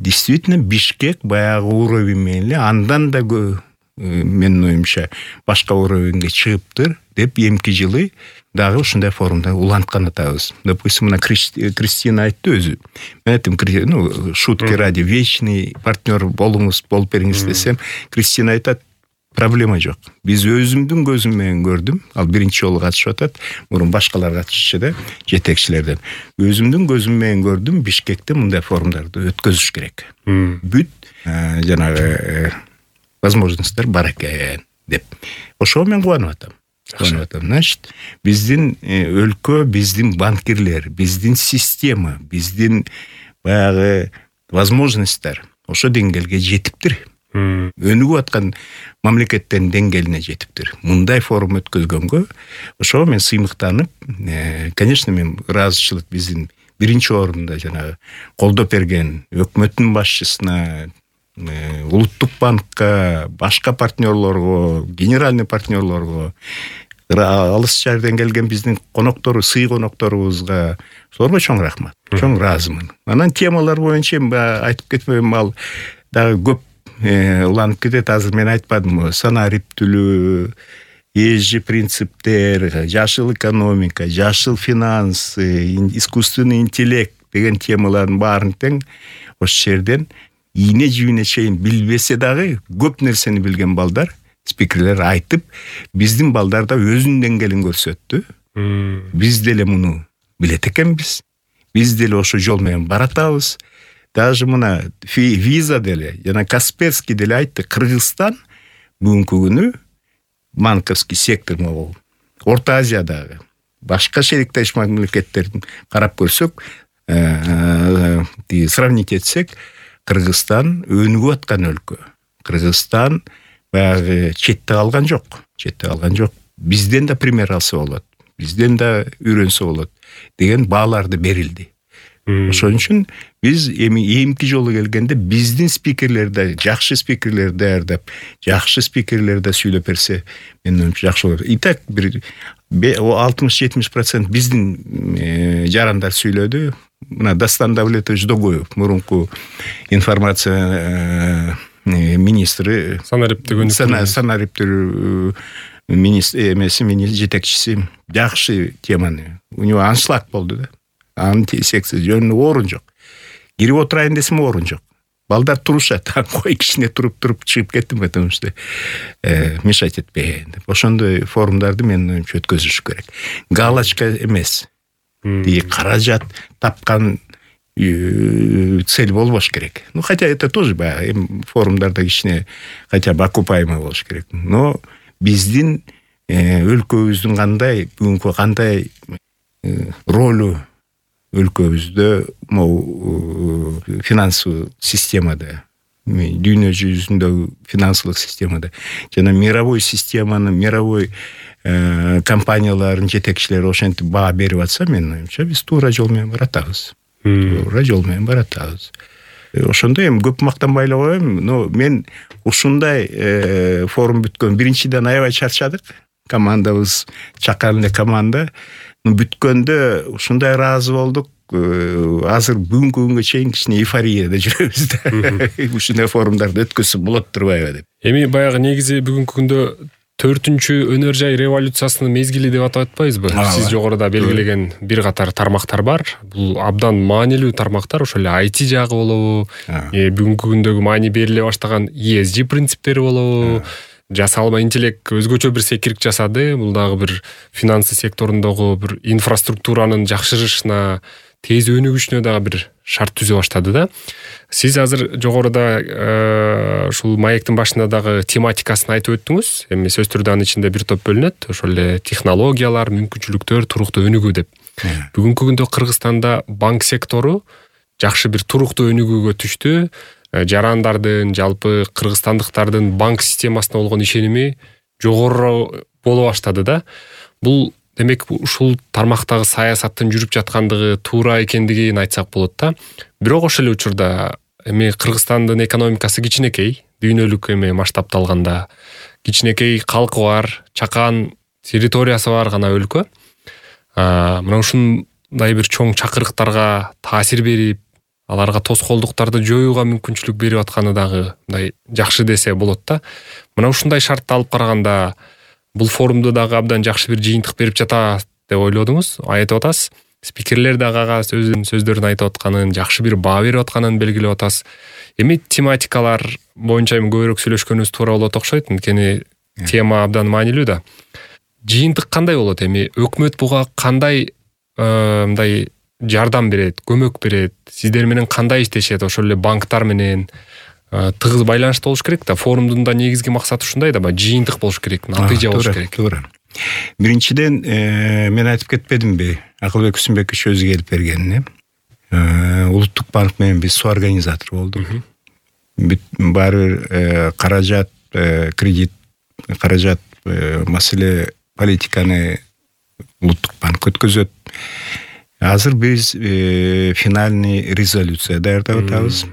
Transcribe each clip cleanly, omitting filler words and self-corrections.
действительно Бишкек баягы уровень менен эле андан да менин оюмча башка уровеньге чыгыптыр деп эмки жылы дагы ушундай форумда уланткан атабыз. Допустим, мына Кристина айтты өзү. Мен айттым, шутки ради, вечный партнер болуңуз, болуп бериңиз десем, Кристина айтат, проблема жок. Биз өзүмдүн көзүм менен көрдүм. Ал биринчи жолу катышып атат. Мурун башкалар катышчу да, жетекчилерден. Өзүмдүн көзүм менен көрдүм, Бишкекте мындай форумдарды өткөзүш керек. Бүт жанагы возможностьтер бар экен деп. Ошого мен кубанып атам. Значит, биздин өлкө, биздин банкирлер, биздин система, биздин баягы возможностьтер ошо деңгээлге жетиптир. Өнүгүп аткан мамлекеттердин деңгээлине жетиптир. Мындай форум өткөзгөнгө ошого мен сыймыктанып, конечно, мен ыраазычылык биздин биринчи орунда жанагы колдоп берген өкмөттүн башчысына, Улуттук банкка, башка партнерлорго, генеральный партнерлорго, алыс жерден келген биздин коноктору, сый конокторубузга солорго чоң рахмат. Чоң ыраазымын. Анан темалар боюнча айтып кетпейм, ал дагы көп уланып кетет. Азыр мен айтпадым, санариптүүлүү, ESG принциптер, жашыл экономика, жашыл финансы, искусственный интеллект деген темалардын баарын тең ошол жерден ийне жибине чейин билбесе дагы көп нерсени билген балдар, спикерлер айтып, биздин балдар да өзүнүн деңгээлин көрсөттү. Биз деле муну билет экенбиз. Биз деле ошо жол менен баратабыз. Даже мына виза деле, жана Касперский деле айтты, Кыргызстан бүгүнкү күнү банковский сектор могу Орто Азиядагы башка шериктеш мамлекеттерин карап көрсөк, сравнить этсек, Кыргызстан өнүгүп аткан өлкө. Кыргызстан баягы четте калган жок. Бизден да пример алса болот. Бизден да үйрөнсө болот деген бааларды берилди. Ошон үчүн биз эмки жолу келгенде биздин спикерлерди, жакшы спикерлерди даярдап, жакшы спикерлерди сүйлөп берсе, менин оюмча жакшы болот. Итак, 60-70% биздин жарандар сүйлөдү. Мына Дастан Давлетович Догоев, мурунку информация министри, санариптүү министр жетекчиси жакшы теманы. У него аншлаг болду да. Антисекция жөнүндө орун жок. Кирип отурайын десем орун жок. Балдар турушат. Кой кичине туруп чыгып кеттим, потому что мешать этпейин деп. Ошондой форумдарды менин өткөзүш керек. Галочка эмес. Каражат тапкан цель болбош керек. Хотя это тоже форумдарда кичине хотя бы окупаемый болуш керек. Но биздин өлкөбүздүн бүгүнкү кандай ролу өлкөбүздө могу финансылык системада, дүйнө жүзүндөгү финансылык системада жана мировой системаны, мировой компаниялардын жетекчилери ошентип баа берип атса, менин оюмча биз туура жол менен баратабыз. Ошондой эми көп мактанбай эле коем, но мен ушундай форум бүткөн биринчиден аябай чарчадык. Командабыз чакан эле команда. Бүткөндө ушундай ыраазы болдук. Азыр бүгүнкү күнгө чейин кичине эйфорияда жүрөбүз да. Ушундай форумдарды өткөзсө болот турбайбы деп. Эми баягы негизи бүгүнкү күндө 4-чү өнөр жай революциясынын мезгили деп атап атпайбызбы? Сиз жогоруда белгилеген бир катар тармактар бар. Бул абдан маанилүү тармактар, ошол эле IT жагы болобу, бүгүнкү күндөгү маани бериле баштаган ESG принциптери болобу, жасалма интеллект өзгөчө бир секирик жасады. Бул дагы бир финансы секторундогу бир инфраструктуранын жакшырышына, тез өнүгүшүнө дагы бир шарт түзө баштады да. Сиз азыр жогоруда ушул маектин башында дагы тематикасын айтып өттүңүз. Эми сөз түрдө анын ичинде бир топ бөлүнөт. Ошол эле технологиялар, мүмкүнчүлүктөр, туруктуу өнүгүү деп. Бүгүнкү күндө Кыргызстанда банк сектору жакшы бир туруктуу өнүгүүгө түштү. Жарандардын, жалпы кыргызстандыктардын банк системасына болгон ишеними жогору боло баштады да. Бул демек ушул тармактагы саясаттын жүрүп жаткандыгы туура экендигин айтсак болот да. Бирок ошол эле учурда эми Кыргызстандын экономикасы кичинекей, дүйнөлүк эми масштабта алганда кичинекей калкы бар, чакан территориясы бар гана өлкө. Мына ушундай бир чоң чакырыктарга таасир берип, аларга тоскоолдуктарды жоюуга мүмкүнчүлүк берип атканы дагы мындай жакшы десе болот да. Мына ушундай шартты алып караганда бул форумду дагы абдан жакшы бир жыйынтык берип жатат деп ойлодуңуз, айтып атасыз. Спикерлер дагы ага сөздөрүн айтып атканын, жакшы бир баа берип атканын белгилеп атасыз. Эми тематикалар боюнча көбүрөөк сүйлөшкөнүбүз туура болот окшойт, анткени тема абдан маанилүү да. Жыйынтык кандай болот эми? Өкмөт буга кандай мындай жардам берет, көмөк берет? Сиздер менен кандай иштешет? Ошол эле банктар менен тыгыз байланышта болуш керек да. Форумдун да негизги максаты ушундай да, жыйынтык болуш керек, натыйжа болуш керек. Туура. Биринчиден мен айтып кетпедимби, Акылбек Үсүнбекович өзү келип бергенин. Улуттук банк менен биз соорганизатор болдук. Баары бир каражат, кредит, каражат маселе политиканы Улуттук банк өткөзөт. Азыр биз финальный резолюция даярдап атабыз.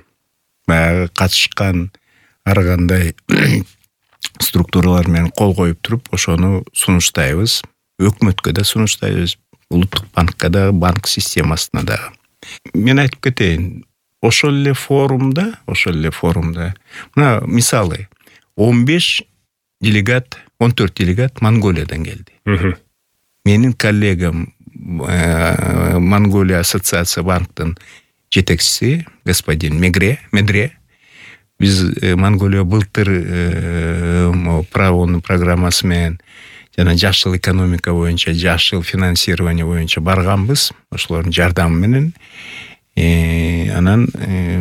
Катышкан ар кандай структуралар менен кол коюп туруп, ошону сунуштайбыз. Өкмөткө да сунуштайбыз, Улуттук банкка да, банк системасына да. Мен айтып кетейин, ошол эле форумда, мына мисалы 14 делегат Монголиядан келди. Менин коллегам Монголия ассоциация банктын жетекчиси господин Медре. Биз Монголия былтыр правонун программасы менен жана жаш жыл экономика боюнча, жаш жыл финансирование боюнча барганбыз. Ошолордун жардамы менен анан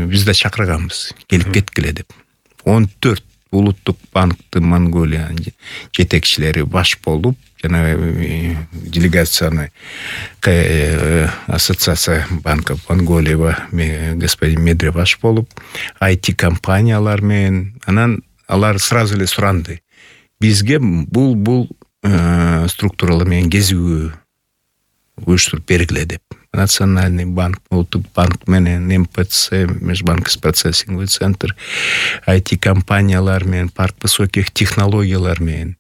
биз да чакырганбыз, келип кеткиле деп. 14 Улуттук банктын Монголия жетекчилери баш болуп, жана делегацияны ассоциация банков Монголия господин Медре баш болуп, IT компаниялар менен, анан алар сразу эле суранды. Бизге бул структуралар менен кезүү уюштуруп бергиле деп. Национальный банк, Улуттук банк менен МПЦ, Межбанковский процессинговый центр, IT компаниялар менен, парк высоких технологиялар менен,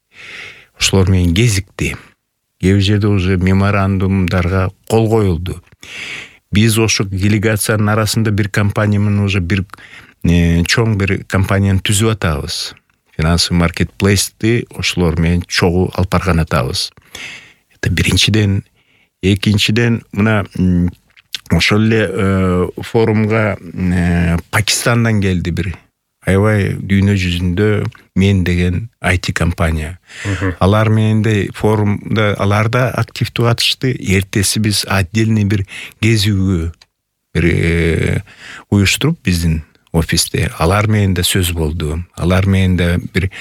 ошолор менен кезикти. Кээ жерде уже меморандумдарга кол коюлду. Биз ошо делегациянын арасында бир компания менен уже бир чоң бир компанияны түзүп атабыз. Финансовый маркетплейсти ошолор менен чогуу алып барган атабыз. Это биринчиден. Экинчиден, мына ошол эле форумга Пакистандан келди бир аябай дүйнө жүзүндө мен деген IT компания. Алар менен де форумда алар да активдүү катышты. Эртеси биз отдельный бир кезүүгө бир уюштуруп биздин офисте алар менен да сөз болду. Алар менен да бир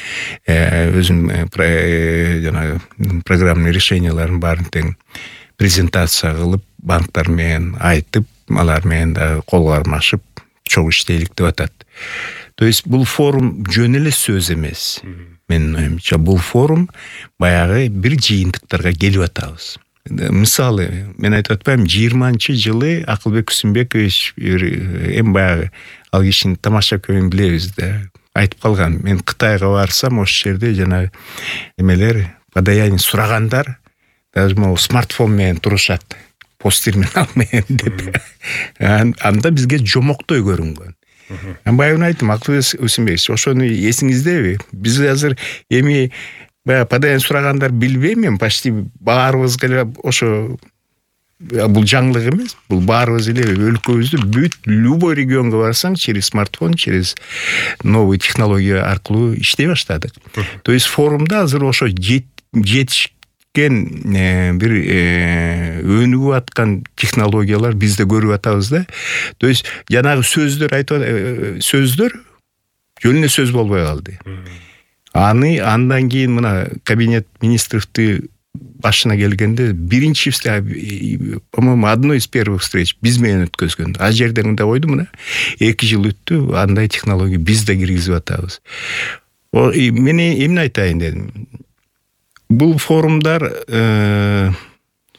өзүнүн жана программный решенияларын баарын тең презентация кылып, банктар менен айтып, алар менен да кол кармашып, чогуу иштейлик деп атат. То есть бул форум жөн эле сөз эмес. Менин оюмча бул форум баягы бир жыйынтыктарга келип атабыз. Мисалы, мен айтып атпайм, 20-жылы Акылбек Үсүнбекович эми баягы ал кишини тамаша көбүн билебиз да. Айтып калган, мен Кытайга барсам, ошол жерде жана эмелер, подаяние сурагандар даже могу смартфон менен турушат, посттерминал менен деп. Анда бизге жомоктой көрүнгөн. Баягы айттым, Акылбек Үсүнбекович, ошону эсиңиздеби? Биз азыр эми баягы подаяние сурагандар билбейм мен, почти баарыбыз эле ошо бул жаңылык эмес. Бул баарыбыз эле өлкөбүздү бүт любой регионго барсаң, через смартфон, через новый технология аркылуу иштей баштадык. То есть форумда азыр ошо жетишкен бир өнүгүп аткан технологиялар бизде көрүп атабыз да. То есть жанагы сөздөр сөздөр жөн эле сөз болбой калды. Андан кийин мына кабинет министровду башына келгенде биринчи, по-моему, одной из первых встреч биз менен өткөзгөн. А жерде мында койду, мына 2 жыл өттү, андай технология биз да киргизип атабыз. Мен эмне айтайын дедим. Бул форумдар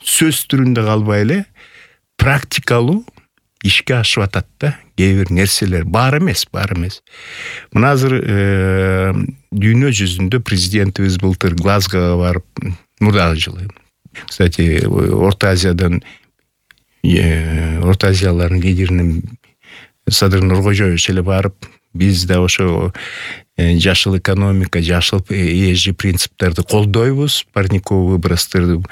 сөз түрүндө калбай эле практикалуу ишке ашып атат да. Кээ бир нерселер бар эмес. Мына азыр дүйнө жүзүндө президентибиз былтыр Глазгого барып, мурдагы жылы. Кстати, Орто Азиялардын лидеринин Садыр Нуркожоевич эле барып, биз да ошо жашыл экономика, жашыл ESG принциптерди колдойбуз, парниковый выбростарды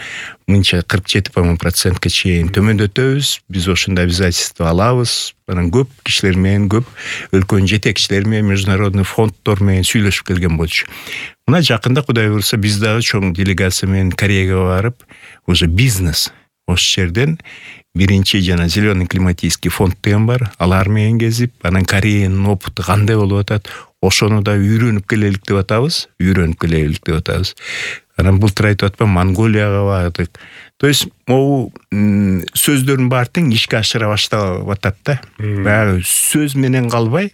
мынча 47% чейин төмөндөтөбүз, биз ошондой обязательство алабыз. Анан көп кишилер менен, көп өлкөнүн жетекчилери менен, международный фонддор менен сүйлөшүп келген болчу. Мына жакында Кудай буйрса биз дагы чоң делегация менен Кореяга барып, уже бизнес ошол жерден биринчи жана зеленый климатический фонд деген бар, алар менен кезип, анан Кореянын опыту кандай болуп атат, ошону да үйрөнүп келелик деп атабыз. Анан былтыр айтып атпам, Монголияга бардык. То есть могу сөздөрдүн баары тең ишке ашыра баштап атат да. Баягы сөз менен калбай,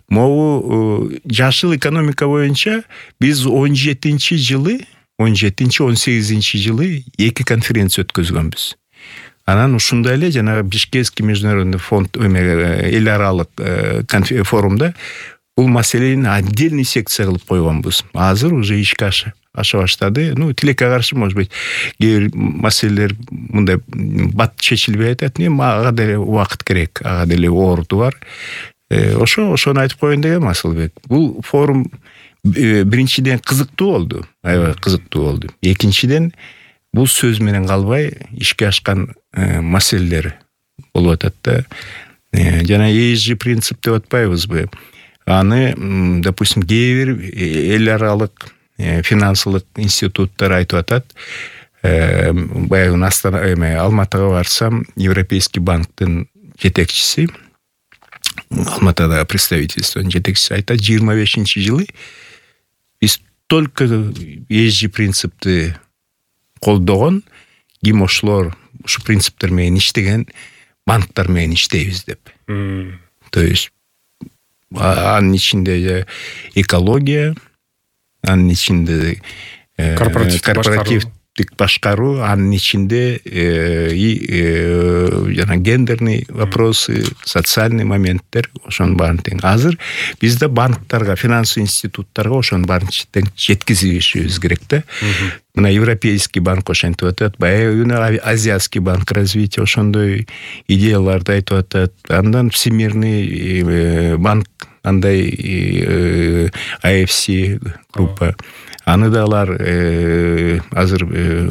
могу жашыл экономика боюнча биз 17-18 жылы 2 конференция өткөзгөнбүз. Анан ушундай эле жанагы Бишкекский международный фонд эл аралык форумда бул маселени отдельный секция кылып койгонбуз. Азыр уже ишке аша баштады. Тилекке каршы, может быть, кээ бир маселелер мындай бат чечилбей атат. Ага деле убакыт керек, ага деле орду бар. Ошону айтып коеюн дегем, Асылбек. Бул форум биринчиден кызыктуу болду. Аябай кызыктуу болду. Экинчиден бул сөз менен калбай ишке ашкан маселелер болуп атат да. Жана ESG принцип деп атпайбызбы? Аны, допустим, кээ бир эл аралык финансылык институттар айтып атат. Баягы Алматыга барсам, Европейский банктын жетекчиси, Алматыда представительствонун жетекчиси айтат, 25-жылы биз только ESG принципти колдогон, ким ошлор ушу принциптер менен иштеген банктар менен иштейбиз деп. То есть анын ичинде экология, анын ичинде корпоративдик башкаруу, анын ичинде жана гендерный вопросы, социальный моменттер, ошонун баарын тең. Азыр бизде банктарга, финансовый институттарга ошонун баарын тең жеткизишибиз керек да. Мына Европейский банк ошентип атат, баягы Азиатский банк развития ошондой идеяларды айтып атат. Андан Всемирный банк, андай IFC группа. Аны да алар азыр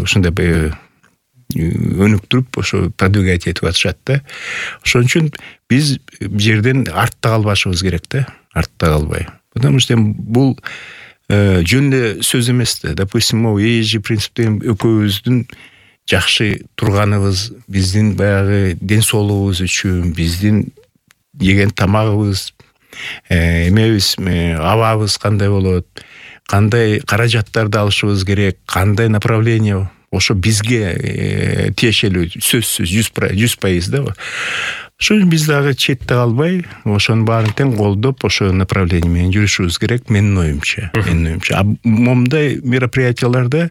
ушундай өнүктүрүп, ошо продвигать этип атышат да. Ошон үчүн биз жерден артта калбашыбыз керек да, артта калбай. Потому что бул жөн эле сөз эмес да. Допустим, ESG принцип деген экөөбүздүн жакшы турганыбыз, биздин баягы ден соолугубуз үчүн, биздин жеген тамагыбыз, эмебиз, абабыз кандай болот, кандай каражаттарды алышыбыз керек, кандай направление, ошо бизге тиешелүү, сөзсүз 100% да. Ошон биз дагы четте калбай, ошонун баарын тең колдоп, ошо направление менен жүрүшүбүз керек, менин оюмча. Момундай мероприятияларда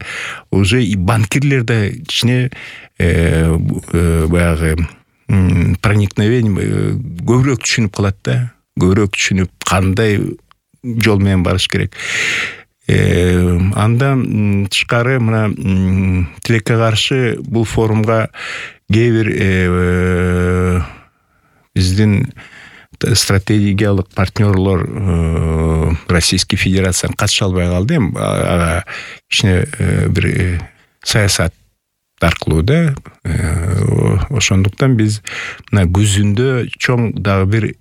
уже и банкирлер да кичине баягы проникновение көбүрөөк түшүнүп калат да. Көбүрөөк түшүнүп, кандай жол менен барыш керек. Андан тышкары мына тилекке каршы бул форумга кээ бир биздин стратегиялык партнерлор Российский Федерацияны катыша албай калды. Ага кичине бир саясат аркылуу да. Ошондуктан биз мына күзүндө чоң дагы бир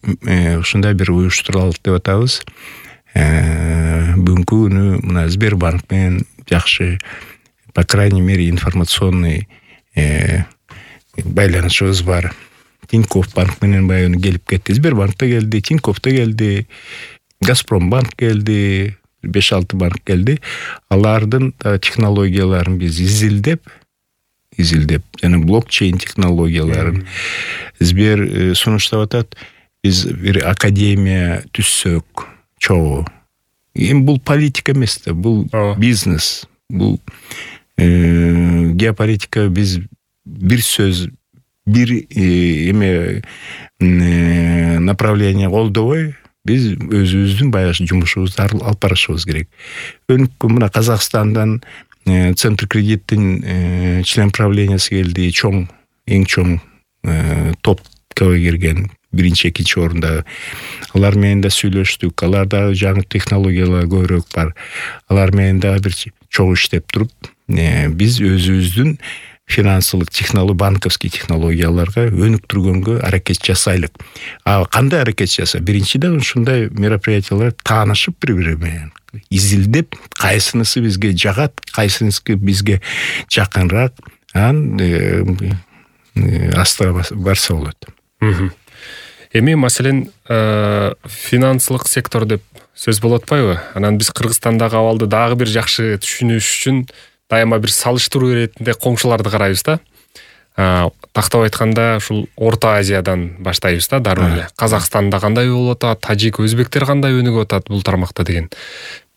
ушундай бир уюштуралык деп атабыз. Бүгүнкү күнү мына Сбербанк менен жакшы, по крайней мере, информационный байланышыбыз бар. Тинькофф банк менен баягы келип кетти. Сбербанк да келди, Тинькофф да келди, Газпромбанк келди, 5-6 банк келди. Алардын технологияларын биз изилдеп, жана блокчейн технологияларын Сбер сунуштап атат. Биз бир академия түзсөк, чогуу. Бул политика эмес да, бул бизнес, бул геополитика. Биз бир сөз, бир направление колдобой, биз өзүбүздүн баягы жумушубузду алып барышыбыз керек. Өнүккөн мына Казакстандан Центр кредиттин член правлениясы келди, эң чоң топко кирген биринчи экинчи орунда. Алар менен да сүйлөштүк. Аларда жаңы технологиялар көбүрөөк бар. Алар менен да бир чогуу иштеп туруп, биз өзүбүздүн финансылык банковский технологияларга өнүктүргөнгө аракет жасайлык. Кандай аракет жаса? Биринчиден ушундай мероприятиялар таанышып бири-бири менен изилдеп, кайсынысы бизге жагат, кайсынысы бизге жакынраак, астыга барса болот. Эми маселен финансылык сектор деп сөз болуп атпайбы? Анан биз Кыргызстандагы абалды дагы бир жакшы түшүнүш үчүн дайыма бир салыштыруу иретинде коңшуларды карайбыз да. Тактап айтканда ушул Орто Азиядан баштайбыз да, дароо эле. Казакстанда кандай болуп атат, тажик, өзбектер кандай өнүгүп атат бул тармакта деген.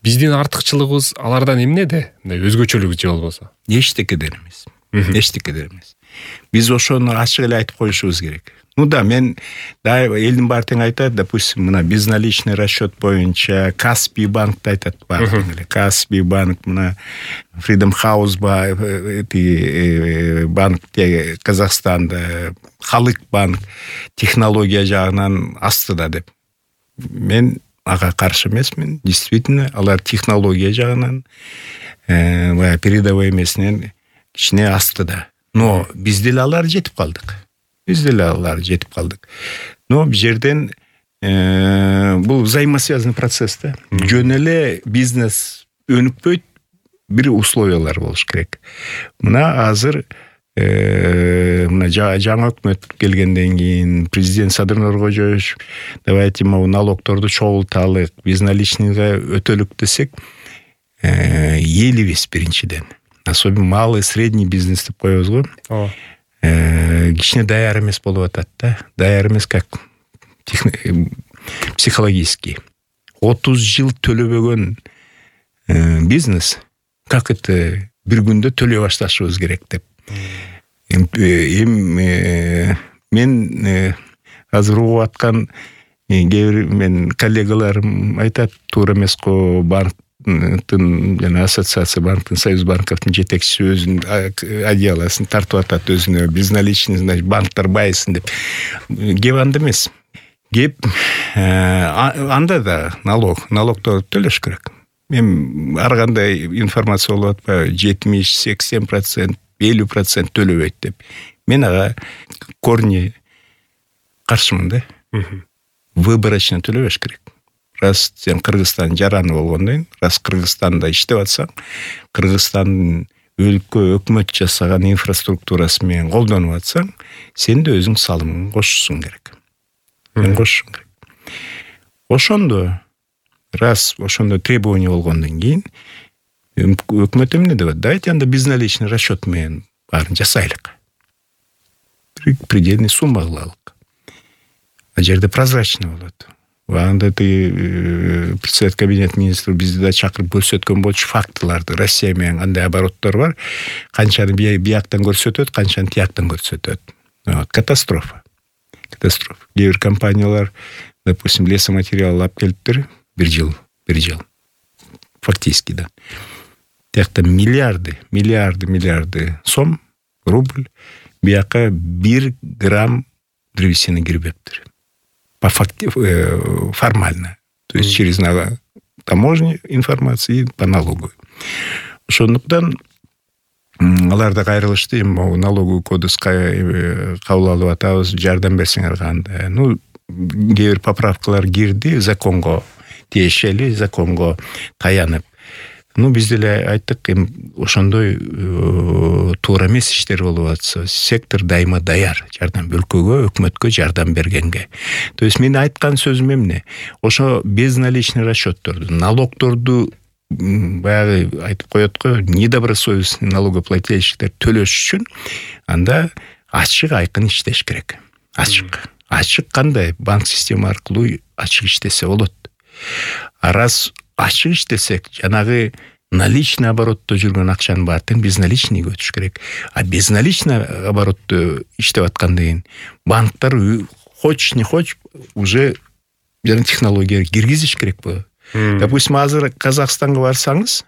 Биздин артыкчылыгыбыз алардан эмнеде? Өзгөчөлүгү же болбосо? Эчтекеден эмес. Эчтекеден эмес. Биз ошону ачык эле айтып коюшубуз керек. Мен элдин баары тең айтат, допустим, мына безналичный расчет боюнча Каспий банкты айтат баары тең эле. Каспий банк, мына Freedom House банк Казакстанда, Халык банк технология жагынан астыда деп. Мен ага каршы эмесмин. Действительно, алар технология жагынан передовой эмесинен кичине астыда. Но биз деле алар жетип калдык. Но бул жерден бул взаимосвязанный процесс да. Жөн эле бизнес өнүкпөйт, бир условиялар болуш керек. Мына азыр мына жаңы өкмөт келгенден кийин президент Садыр Нуркожоевич давайте налогторду чогулталык, безналичныйга өтөлүк десек, элибиз биринчиден. Особенно малый, средний бизнес деп коебуз го. Кичине даяр эмес болуп атат да. Даяр эмес как психологически. 30 жыл төлөбөгөн бизнес как это бир күндө төлөй башташыбыз керек деп. Мен азыр угуп аткан мен коллегаларым айтат, туура эмес го, банктын жана ассоциация банктын, Союз банковдун жетекчиси өзүнүн одеялосын тартып атат өзүнө, безналичный, значит, банктар байысын деп. Кеп анда эмес. Кеп анда да налогду төлөш керек. Мен ар кандай информация болуп атпайбы, 70-80%, 50% төлөбөйт деп. Мен ага корни каршымын да. Выборочно төлөбөш керек. Раз сен Кыргызстан жараны болгондон кийин, раз Кыргызстанда иштеп атсаң, Кыргызстандын өлкө өкмөт жасаган инфраструктурасы менен колдонуп атсаң, сен да өзүң салымыңды кошушуң керек. Ошондо требование болгондон кийин өкмөт эмне деп атат? Давайте анда безналичный расчет менен баарын жасайлык. Предельный сумма кылалык. Жерде прозрачный болот. Анда председатель кабинет министров бизди да чакырып көрсөткөн болчу фактыларды. Россия менен кандай обороттор бар, канчаны бияктан көрсөтөт, канчаны тияктан көрсөтөт. Катастрофа. Кээ бир компаниялар, допустим, лесоматериал алып келиптир, бир жыл. Фактически да. Тиякта миллиарды сом, рубль, бияка 1 грамм древесины кирбептир. Формально. То есть через таможню информации по налогу. Ошондуктан аларда кайрылышты, налоговый кодекс кабыл алып атабыз, жардам берсеңер кандай. Кээ бир поправкалар кирди, законго тиешели, законго таянып. Биз деле айттык, ошондой туура эмес иштер болуп атса, сектор дайыма даяр жардам, өлкөгө, өкмөткө жардам бергенге. То есть мен айткан сөзүм эмне? Ошо безналичный расчетторду, налогторду баягы айтып коет го, недобросовестный налогоплательщиктер төлөш үчүн анда ачык айкын иштеш керек. Ачык кандай? Банк система аркылуу ачык иштесе болот. Раз ачык иштесек, жанагы наличный оборотто жүргөн акчанын баарын безналичныйга өтүш керек. Безналичный оборотто иштеп аткандан кийин банктар хоч не хоч уже жана технология киргизиш керек болот. Допустим, азыр Казакстанга барсаңыз,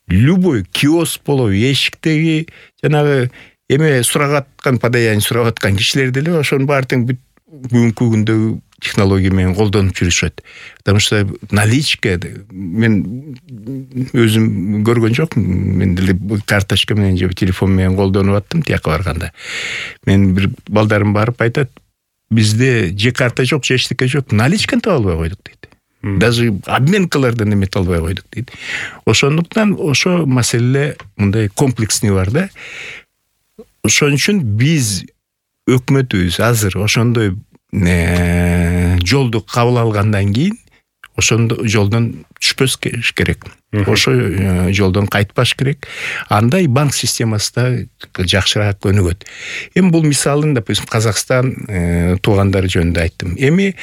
любой киоск болобу, эшиктеги жанагы эме сурап аткан, подаяние сурап аткан кишилер деле ошонун баары тең бүгүнкү күндөгү технология менен колдонуп жүрүшөт. Потому что наличка мен өзүм көргөн жокмун. Мен деле карточка менен же телефон менен колдонуп аттым тияка барганда. Мен бир балдарым барып айтат, бизде же карта жок, же эчтеке жок, наличканы таба албай койдук дейт. Даже обменкалардан эмете албай койдук дейт. Ошондуктан ошо маселе мындай комплексный бар да. Ошон үчүн биз өкмөтүбүз азыр ошондой жолду кабыл алгандан кийин ошондо жолдон түшпөс керек. Ошо жолдон кайтпаш керек. Андай банк системасы да жакшыраак өнүгөт. Эми бул мисалын, допустим, Казакстан туугандары жөнүндө айттым. Эми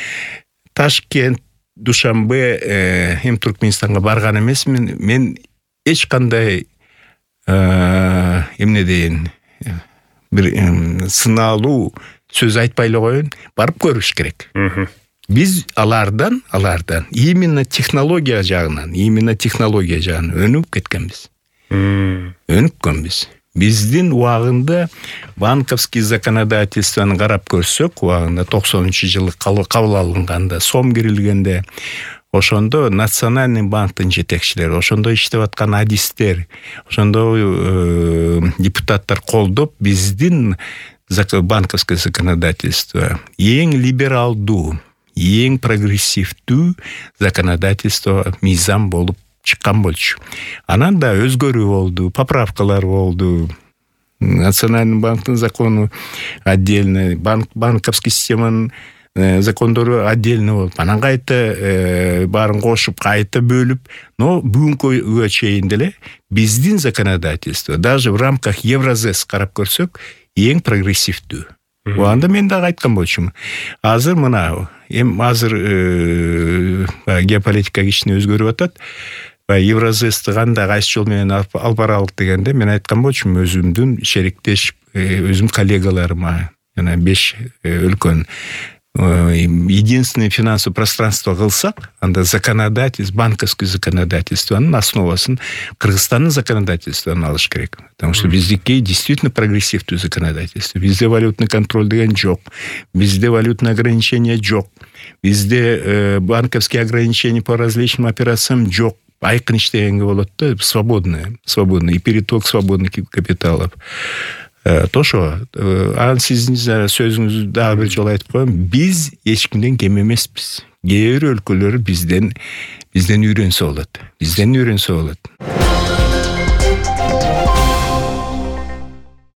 Ташкент, Душанбе, Туркменистанга барган эмесмин. Мен эч кандай эмне дейин, бир сыналуу сөз айтпай эле коеюн, барып көрүш керек. Биз алардан именно технология жагынан өнүп кеткенбиз. Өнүккөнбүз. Биздин убагында банковский законодательствону карап көрсөк, убагында 90-жылы кабыл алынганда, сом кирилгенде, ошондо Национальный банктын жетекчилери, ошондо иштеп аткан адистер, ошондо депутаттар колдоп биздин банковское законодательство эң либералдуу, эң прогрессивдүү законодательство мыйзам болуп чыккан болчу. Анан да өзгөрүү болду, поправкалар болду. Национальный банктын закону отдельно, банковский системанын закондору отдельно болуп, анан кайта баарын кошуп, кайта бөлүп, но бүгүнкүгө чейин деле биздин законодательство даже в рамках Евразес карап көрсөк, эң прогрессивдүү. Анда мен дагы айткан болчумун. Азыр мына, азыр геополитика кичине өзгөрүп атат. Евразести кандай кайсы жол менен алып баралык дегенде мен айткан болчумун, өзүмдүн шериктеш, өзүм коллегаларыма, жана 5 өлкөнүн единственное финансовое пространство кылсак, анда законодательство, банковский законодательствонун основасын Кыргызстандын законодательствону алыш керек. Потому что биздики действительно прогрессивдүү законодательство. Бизде валютный контроль деген жок. Бизде валютный ограничение жок. Бизде банковские ограничения по различным операциям жок. Айкын иштегенге болот да, свободный и переток свободных капиталов. Тошо, анан сиздин сөзүңүздү дагы бир жолу айтып коем, биз эч кимден кем эмеспиз. Кээ бир өлкөлөр бизден үйрөнсө болот.